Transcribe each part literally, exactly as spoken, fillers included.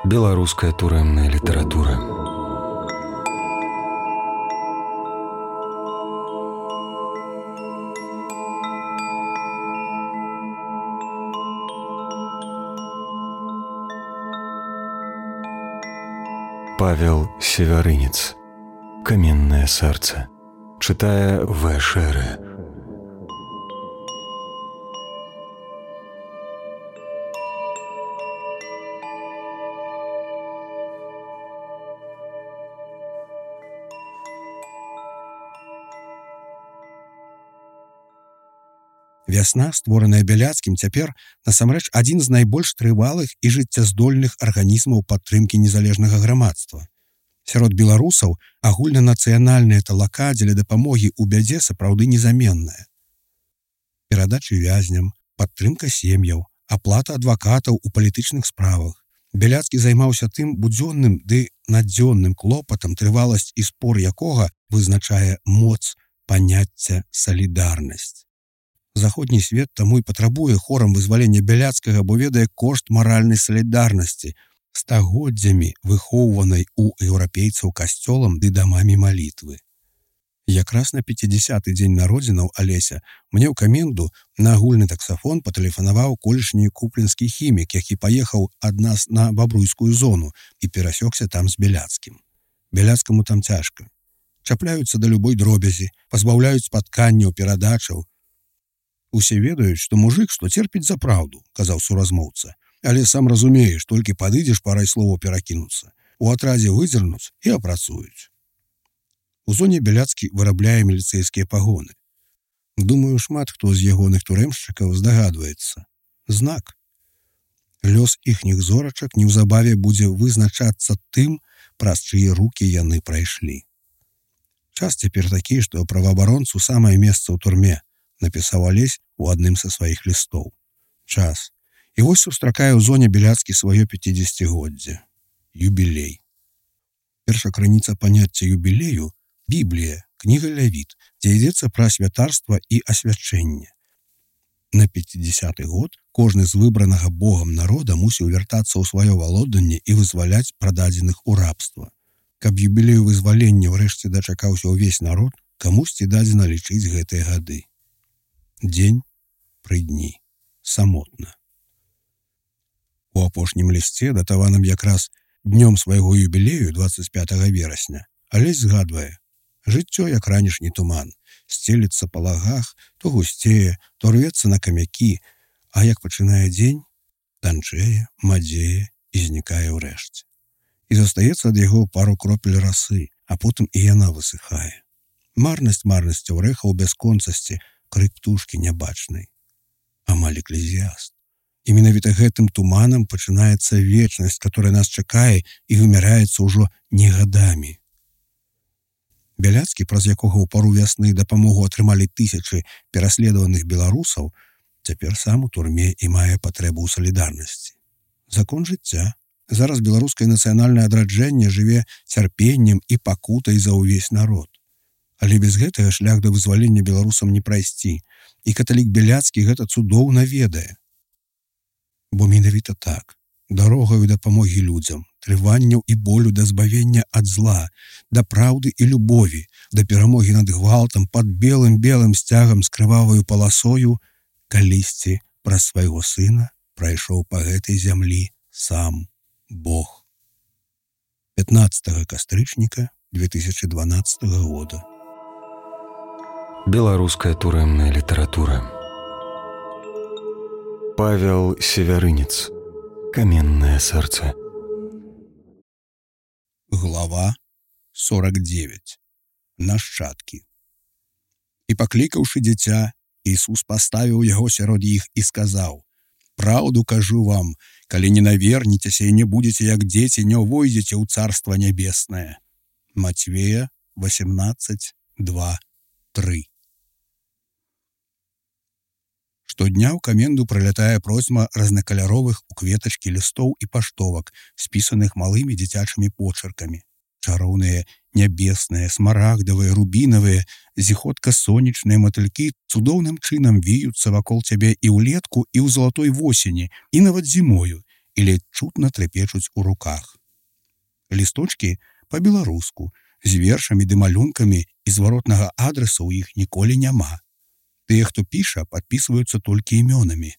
Беларуская турэмная літаратура. Павел Севярынец. Каменное сердце. Читая В. Шеры. Вясна, створаная Бяляцкім, цяпер насамрэч адзін з найбольш трывалых і жыццяздольных арганізмаў падтрымкі незалежнага грамадства. Сярод беларусаў агульнанацыянальная талака дзеля дапамогі ў бядзе сапраўды незаменная. Перадачы вязням, падтрымка сем'яў, аплата адвакатаў у палітычных справах. Бяляцкі займаўся тым будзённым ды надзённым клопатам, трываласць і спор якога вызначае моц паняцця салідарнасць. Заходні свет таму і патрабуе хорам вызвалення Бяляцкага, бо ведае кошт маральнай салідарнасці, стагоддзямі выхоўванай у еўрапейцаў касцёлам ды дамамі малітвы. Якраз на пяцідзясяты дзень народзінаў Алеся мне ў каменду на агульны таксафон патэлефанаваў колішні купленскі хімік, які паехаў ад нас на бабруйскую зону і перасёкся там з Бяляцкім. Бяляцкаму там цяжка. Чапляюцца да любой дробязі, пазбаўляюць спатканняў, перадачаў. Усе ведаюць, што мужык, што церпіць за праўду, казаў суразмоўца. Але сам разумееш, толькі падыдзеш парай словаў перакінуцца. У атрадзе выдзернуць і апрацуюць. У зоне Бяляцкі вырабляе міліцэйскія пагоны. Думаю, шмат хто з ягоных турэмшчыкаў здагадваецца. Знак. Лёс іхніх зорачак неўзабаве будзе вызначацца тым, праз чые рукі яны прайшлі. Час цяпер такі, што праваабаронцу самае месца ў турме, напісаў Алесь у адным са сваіх лістоў. Час. І вось сустракае ў зоне Бяляцкі сваё пяцідзесяцігоддзе. Юбілей. Перша крыніца паняцця юбілею – Біблія, кніга Лявіт, дзе ідзецца пра святарства і асвячэнне. На пяцідзесяты год кожны з выбранага Богам народа мусіў вяртацца ў сваё валоданне і вызваляць прададзеных у рабства. Каб юбілею вызвалення ўрэшце дачакаўся ўвесь народ, камусьці дадзена лічыць гэтыя гады. Дзень пры дні. Самотна. У апошнім лісце, датаваным якраз днём свайго юбілею дваццаць пятага верасня, Алесь згадвае: жыццё, як ранішні туман, сцеліцца па лагах, то гусцее, то рвецца на камякі, а як пачынае дзень, танчэе, мадзее і знікае ўрэшце. І застаецца ад яго пару кропель расы, а потым і яна высыхае. Марнасць марнасцяў рэхаў бясконцасці, крык птушкі нябачнай. Амаль эклезіаст. І менавіта гэтым туманам пачынаецца вечнасць, которая нас чакае і вымяраецца ўжо не гадамі. Бяляцкі, праз якога ў пару вясны дапамогу атрымалі тысячы пераследаваных беларусаў, цяпер сам у турме і мае патрэбу ў салідарнасці. Закон жыцця. Зараз беларускае нацыянальнае адраджэнне жыве цярпеннем і пакутай за ўвесь народ. Але без гэтага шлях да вызвалення беларусам не прайсці, і каталік Бяляцкі гэта цудоўна ведае. Бо менавіта так, дарогаю дапамогі людзям, трыванняў і болю да збавення ад зла, да праўды і любові, да перамогі над гвалтам пад белым-белым сцягам з крываваю паласою, калісьці праз свайго сына прайшоў па гэтай зямлі сам Бог. пятнаццатага кастрычніка две тысячи дванаццатага года. Беларуская турэмная літаратура. Павел Севярынец. Каменное сердце. Глава сорок девять. Нашчадкі. І паклікаўшы дзіця, Ісус паставіў яго сярод іх і сказаў: «Праўду кажу вам, калі не навернецеся і не будзеце як дзеці, не ўвойдзеце ў Царства Нябеснае». Матвея восемнадцать, два, три. Штодня ў каменду прылятае процьма разнакаляровых у кветачкі лістоў і паштовак, спісаных малымі дзіцячымі почеркамі. Чароўныя нябесныя, смарагдавыя, рубінавыя, зіхотка-сонечныя матылькі цудоўным чынам віюцца вакол цябе і ўлетку, і ў залатой восені, і нават зімою, і ледь чутна трапечуць у руках. Лісточкі па-беларуску, з вершамі ды малюнкамі і зваротнага адресу ў іх ніколі няма. Тыя, хто піша, падпісваюцца толькі імёнамі.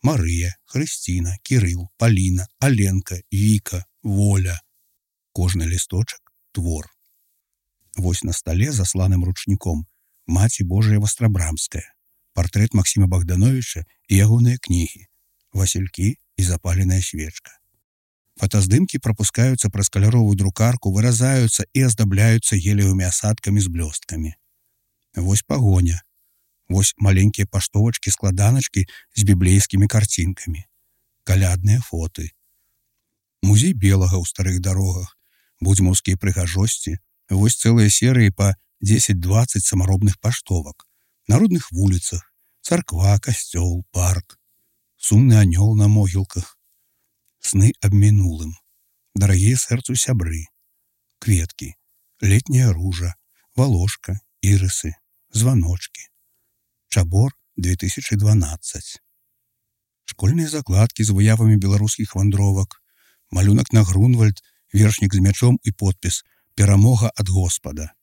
Марыя, Хрысціна, Кірыл, Паліна, Аленка, Віка, Воля. Кожны лісточак – твор. Вось на стале, засланым ручніком, Маці Божая Вастрабрамская, партрэт Максіма Богдановича і ягоныя кнігі, Васількі і запаленая свечка. Фотаздымкі прапускаюцца праз каляровую друкарку, выразаюцца і аздабляюцца геліевымі асадкамі з блёсткамі. Вось пагоня. Вось маленькія паштовачкі-складаначкі з біблейскімі карцінкамі. Калядныя фоты. Музей белага ў старых дарогах, будзьмаўскія прыгажосці, вось цэлыя серыі па дзесяць-дваццаць самаробных паштовак. На родных вуліцах, царква, касцёл, парк. Сумны анёл на могілках. Сны аб мінулым. Дарагія сэрцу сябры. Кветкі, летняя ружа, валошка, ірысы, званочкі. Чабор две тысячи дванаццаць. Школьныя закладкі з выявамі беларускіх вандровак, малюнак на Грунвальд, вершнік з мячом і подпіс «Перамога ад Господа».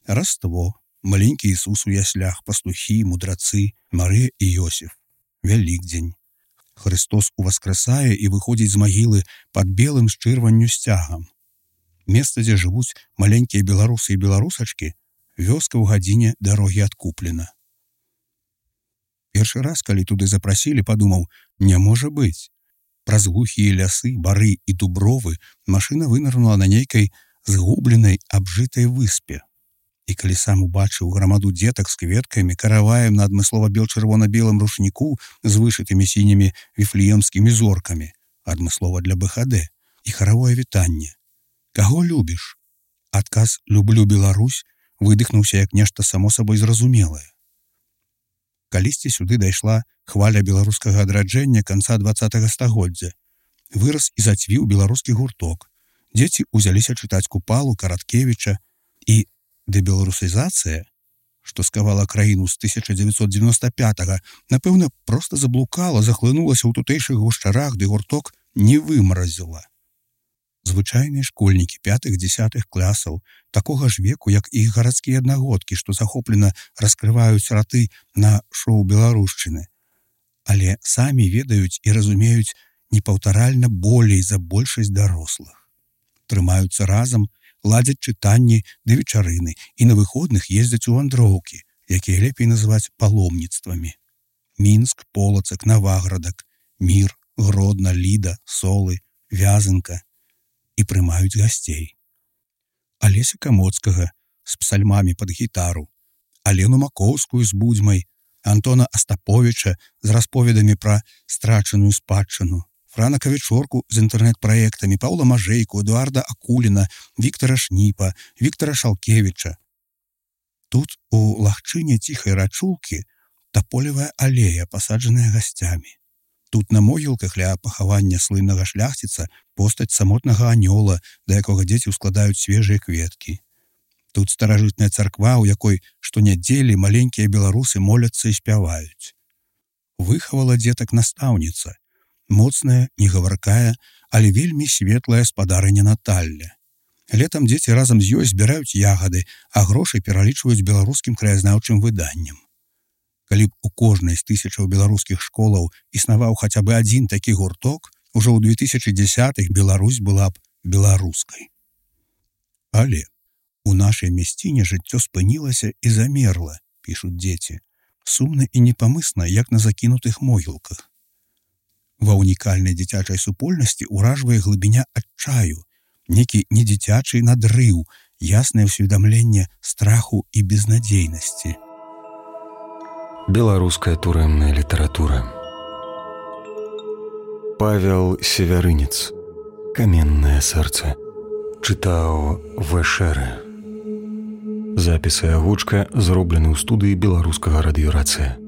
Раство, маленькі Ісус у яслях, пастухі, мудрацы, Марыя і Йосіф. Вялікдзень. Христос уваскрасае і выходзіць з магілы пад белым з чырванню сцягам. Месца, дзе жывуць маленькія беларусы і беларусачкі, вёска ў гадзіне дарогі адкуплена. Першы раз, калі туды запрасілі, падумаў, не можа быць. Праз глухія лясы, бары і дубровы машына вынырнула на нейкай згубленай, абжытай выспе. І калі сам убачыў грамаду дзетак з кветкамі, караваем на адмыслова бел-чырвона-белым рушніку з вышытымі сінімі віфлеемскімі зоркамі, адмыслова для БХД, і харавое вітанне. Каго любіш? Адказ «Люблю Беларусь» выдыхнуўся як нешта само сабой зразумелае. Калісьці сюды дайшла хваля беларускага адраджэння канца дваццатага стагоддзя. Вырас і зацвіў беларускі гурток. Дзеці ўзяліся чытаць Купалу, Караткевіча і дэбеларусізацыя, што скавала краіну з тысяча дзевяцьсот дзевяноста пятага, напэўна, проста заблукала, захлынулася ў тутэйшых гушчарах, ды гурток не вымаразіла. Звычайныя школьнікі пятых-дзесятых класаў, такога ж веку, як і іх гарадскія аднагодкі, што захоплена раскрываюць раты на шоу беларушчыны. Але самі ведаюць і разумеюць непаўтаральна болей за большасць дарослых. Трымаюцца разам, ладзяць чытанні ды вечарыны і на выходных ездзяць у вандроўкі, якія лепей называць паломніцтвамі. Мінск, Полацак, Наваградак, Мір, Гродна, Ліда, Солы, Вязанка. І прымаюць гасцей. Алеся Камоцкага з псальмамі пад гітару, Алену Макоўскую з будзьмай, Антона Астаповіча з расповедамі пра страчаную спадчыну, Франа Кавічорку з інтэрнэт-праектамі, Паўла Мажэйку, Эдуарда Акуліна, Віктара Шніпа, Віктара Шалкевіча. Тут у лагчыне ціхай рачулкі таполевая алея, пасаджаная гасцямі. Тут на могілках ля пахавання слыннага шляхціца постаць самотнага анёла, да якога дзеці ўскладаюць свежыя кветкі. Тут старажытная царква, у якой штонядзелі маленькія беларусы моляцца і спяваюць. Выхавала дзетак настаўніца, моцная, негаваркая, але вельмі светлая спадарыня Наталля. Летам дзеці разам з ёй збіраюць ягады, а грошы пералічваюць беларускім краязнаўчым выданням. Калі б у кожнай з тысячаў беларускіх школаў існаваў хаця бы адзін такі гурток, ужо ў две тысячи дзесятых Беларусь была б беларускай. Але у нашай мясціне жыццё спынілася і замерла, пішуць дзеці, сумна і непамысна, як на закінутых могілках. Ва ўнікальнай дзіцячай супольнасці ўражвае глыбіня адчаю, некі недзіцячы надрыў, яснае ўсведамленне страху і безнадзейнасці. Беларуская турэмная літаратура. Павел Севярынец. Каменнае сэрца. Чытаў Вэшэрэ. Запісы агучка зроблены ў студыі беларускага радыёрацыя.